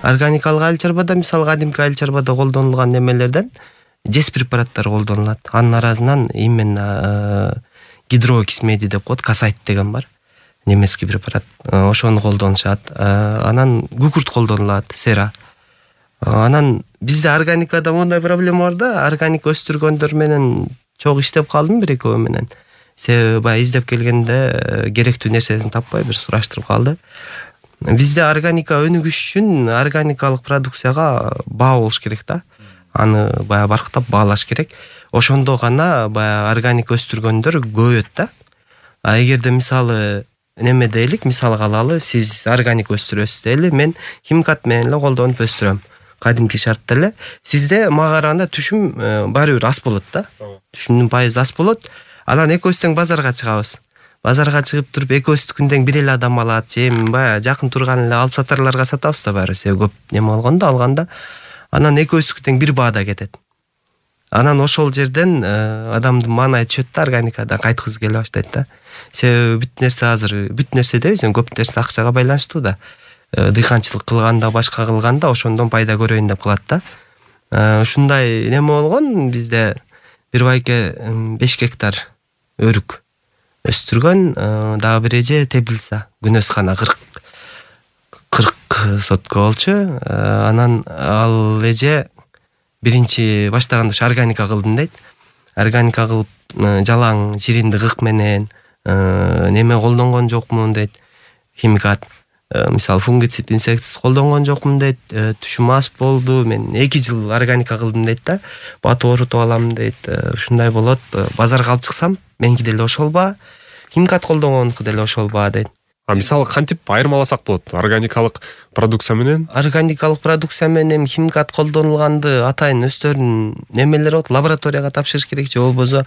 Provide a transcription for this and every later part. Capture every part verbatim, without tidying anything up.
Органикалык айыл чарбада мисалы кадимки айыл чарбада колдонулган немелерден жез препараттары колдонулат. Анын арасынан именно гидрокисмеди деп коет, касайт деген бар. Немецкий препарат. Ошону колдонушат. Анан күкүрт колдонулат, сера. Анан бизде органикада мондай проблема бар да, органик өстүргөндөр менен чогуу иштеп калдым бир экөө менен. Себеби баягы издеп келгенде керектүү нерсесин таппай бир сураштырып калды. Бизде органика өнүгүш үчүн органикалык продукцияга баа болуш керек да. Аны баягы барктап баалаш керек. Ошондо гана баягы органик өстүргөндөр көбөйөт да. А эгерде мисалы неме дейлик, мисалга алалы, сиз органик өстүрөсүз дейли, мен химикат менен эле колдонуп өстүрөм. Кадимки шартта эле. Сизде мага караганда түшүм баары бир ас болот да. Түшүмдүн пайызы ас болот. Анан экөөбүз тең базарга чыгабыз. Базарга чыгып туруп экөөбүздүкүн тең бир эле адам алат, же эми баягы жакын турган эле алып сатарларга сатабыз да баары. Себеби көп неме болгондо алганда. Анан экөөбүздүкү тең бир баада кетет. Анан ошол жерден адамдын маанайы түшөт да, органикада кайткысы келе баштайт да. Себеби бүт нерсе азыр, бүт нерсе дебейбиз, көп нерсе акчага байланыштуу да. Дыйканчылык кылганда, башка кылганда ошондон пайда көрөйүн деп кылат да. Ушундай неме болгон, бизде бир байке беш гектар өрүк өстүргөн, дагы бир эже Теплица, Күнөскана кырк сотка болчу. Анан ал эже биринчи баштаганда ушу органика кылдым дейт. Органика кылып жалаң жириндик ык менен неме колдонгон жокмун дейт. Химикат, мисалы фунгицид, инсектицид колдонгон жокмун дейт. Түшүм аз болду. Мен эки жыл органика кылдым дейт да. Батып орутуп алам дейт. Ушундай болот. Базарга алып чыксам, меники деле ошол баа. Химикат колдонгонуку деле ошол баа дейт. А мисалы кантип айырмаласак болот? Органикалык продукция менен? Органикалык продукция менен химикат колдонулганды атайын өздөрүнүн немелери болот. Лабораторияга тапшырыш керек, же болбосо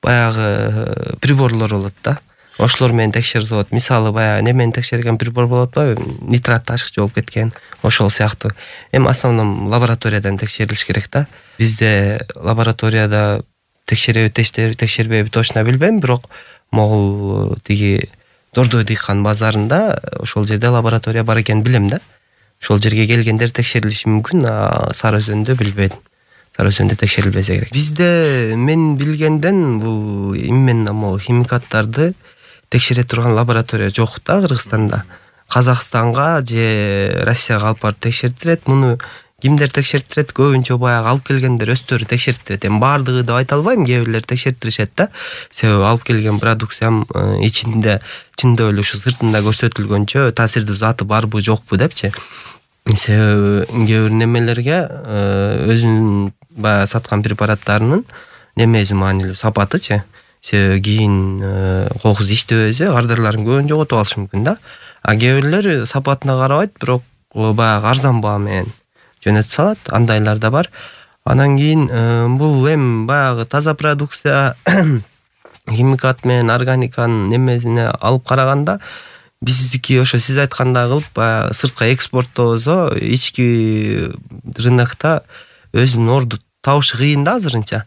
баягы приборлор болот да. Ошолор менен текшерилип болот. Мисалы баягы немени текшерген прибор болот ба, нитрат ташкычы болуп кеткен, ошол сыяктуу. Эми основном лабораториядан текшерилиш керек да. Бизде лабораторияда текшереби, текшербейби точно билбейм, бирок могул тиги Дордой дыйкан базарында ошол жерде лаборатория бар экенин билем да. Ошол жерге келгендер текшерилиши мүмкүн, а Сары Өзөндө билбедим. Сары Өзөндө текшерилбесе керек. Бизде мен билгенден бул именно могу химикаттарды текшере турган лаборатория жок да Кыргызстанда. Казакстанга же Россияга алып барып текшертирет. Муну кимдер текшертирет? Көбүнчө баягы алып келгендер өздөрү текшертирет. Эми баардыгы деп айта албайм, кээ бирлер текшертиришет да. Себеби алып келген продукциям ичинде чындап эле ушу сыртында көрсөтүлгөнчө таасирдүү заты барбы жокпу депчи. Себеби кээ бир немелерге өзүнүн баягы саткан препараттарынын немеси маанилүү, сапатычы. Себеби кийин кокус иштебесе кардарларын көбүн жоготуп алышы мүмкүн да. А кээ бирлер сапатына карабайт, бирок баягы арзан баа менен жөнөтүп салат, андайлар да бар. Анан кийин бул эми баягы таза продукция химикат менен органиканын немесине алып караганда биздики ошо сиз айткандай кылып баягы сыртка экспорттобосо ички рынокто өзүнүн орду табышы кыйын да азырынча.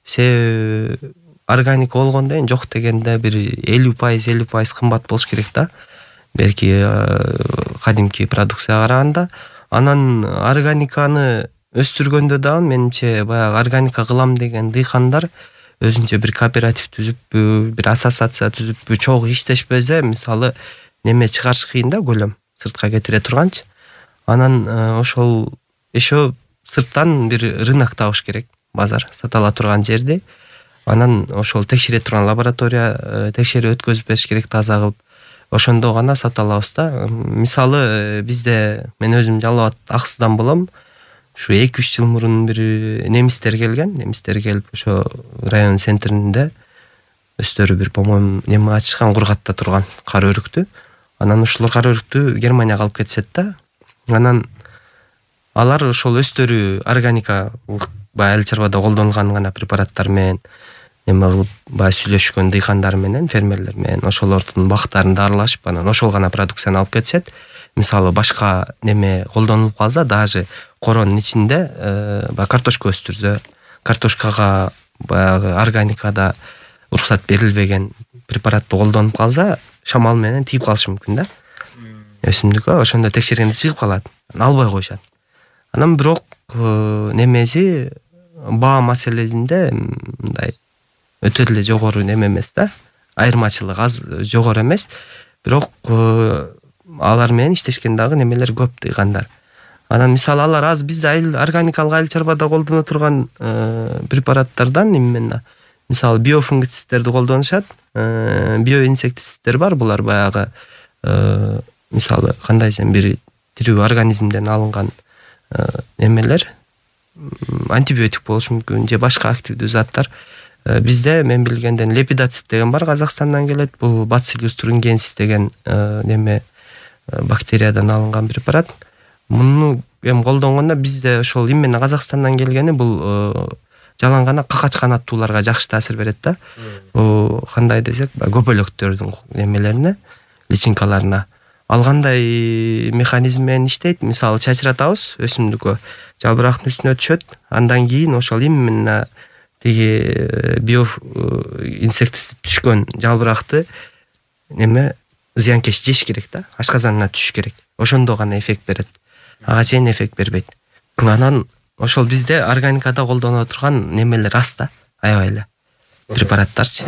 Себеби органика болгондон кийин жок дегенде бир элүү пайыз элүү пайыз кымбат болуш керек да. Белки кадимки продукцияга караганда. Анан органиканы өстүргөндө дагы менимче баягы органика кылам деген дыйкандар өзүнчө бир кооператив түзүппү, бир ассоциация түзүппү, чогуу иштешпесе, мисалы неме чыгарыш кыйын да, көлөм сыртка кетире турганчы. Анан ошол еще сырттан бир рынок табыш керек, базар сата ала турган жерди. Анан ошол текшере турган лаборатория текшерип өткөзүп бериш керек таза кылып. Ошондо гана сата алабыз да. Мисалы бизде мен өзүм жалал абад Аксудан болом. Ушу эки үч жыл мурун бир немистер келген, немистер келип ошо район центринде өздөрү бир, по-моему, неме ачышкан, Кургатта турган кара өрүктү. Анан ошолор кара өрүктү Германияга алып кетишет да. Анан алар ошол өздөрү органикалык баягы айыл чарбада колдонулган гана препараттар менен неме кылып баягы сүйлөшкөн дыйкандар менен, фермерлер менен ошолордун бактарын дарылашып, анан ошол гана продукцияны алып кетишет. Мисалы башка неме колдонулуп калса, даже коронун ичинде баягы картошка өстүрсө, картошкага баягы органикада уруксат берилбеген препаратты колдонуп калса, шамал менен тийип калышы мүмкүн да. өсүмдүккө ошондо текшергенде чыгып калат, албай коюшат. Анан бирок немеси баа маселесинде мындай өтө эле жогору неме эмес да, айырмачылык аз жогору эмес, бирок алар менен иштешкен дагы немелер көп дыйгандар. Анан мисалы алар аз бизде айыл органикалык айыл чарбада колдоно турган препараттардан именно мисалы биофунгицидтерди колдонушат, биоинсектицидтер бар, булар баягы мисалы кандай десем бир тирүү организмден алынган немелер, антибиотик болушу мүмкүн же башка активдүү заттар. Бизде мен билгенден лепидоцит деген бар, Казакстандан келет. Бул Bacillus thuringiensis деген неме бактериядан алынган препарат. Муну эми колдонгондо бизде ошол именно Казакстандан келгени бул жалаң гана какач канаттууларга жакшы таасир берет да. Бул кандай десек, көбөлөктөрдүн немелерине, личинкаларына алгандай механизм менен иштейт. Мисалы чачыратабыз өсүмдүккө, жалбырактын үстүнө түшөт, андан кийин ошол именно тиги био инсектицид түшкөн жалбыракты неме зыянкеш жеш керек да, ашказанына түшүш керек. Ошондо гана эффект берет. Ага чейин эффект бербейт. Анан ошол бизде органикада колдоно турган немелер аз да, аябай эле препараттарчы.